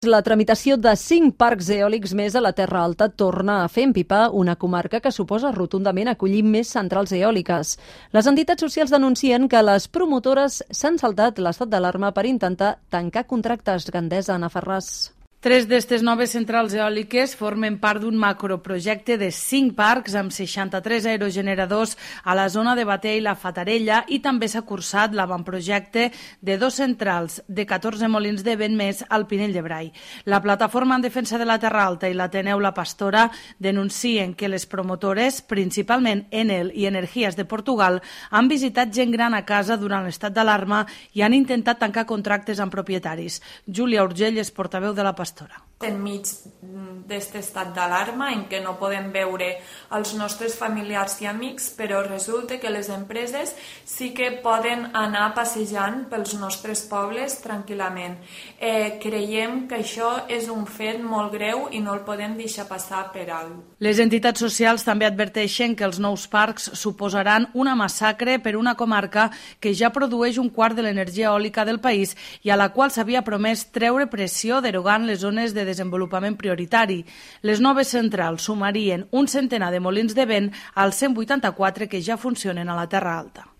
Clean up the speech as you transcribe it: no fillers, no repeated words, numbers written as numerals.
La tramitació de 5 parcs eòlics més a la Terra Alta torna a fer empipar una comarca que suposa rotundament acollir més centrals eòliques. Les entitats socials denuncien que les promotores s'han saltat l'estat d'alarma per intentar tancar contractes. Gandesa, Ana Ferràs. 3 d'aquestes noves centrals eòliques formen part d'un macroprojecte de 5 parcs amb 63 aerogeneradors a la zona de Batea i la Fatarella, i també s'ha cursat l'avantprojecte de 2 centrals de 14 molins de vent més al Pinell de Brai. La Plataforma en Defensa de la Terra Alta i l'Ateneu La Pastora denuncien que les promotores, principalment Enel i Energies de Portugal, han visitat gent gran a casa durant l'estat d'alarma i han intentat tancar contractes amb propietaris. Júlia Urgell és portaveu de la Pastora. Enmig d'aquest estat d'alarma en què no podem veure els nostres familiars i amics, però resulta que les empreses sí que poden anar passejant pels nostres pobles tranquil·lament. Creiem que això és un fet molt greu i no el podem deixar passar per alt. Les entitats socials també adverteixen que els nous parcs suposaran una massacre per una comarca que ja produeix un quart de l'energia eòlica del país i a la qual s'havia promès treure pressió derogant les zones de desenvolupament prioritari. Les noves centrals sumarien un centenar de molins de vent als 184 que ja funcionen a la Terra Alta.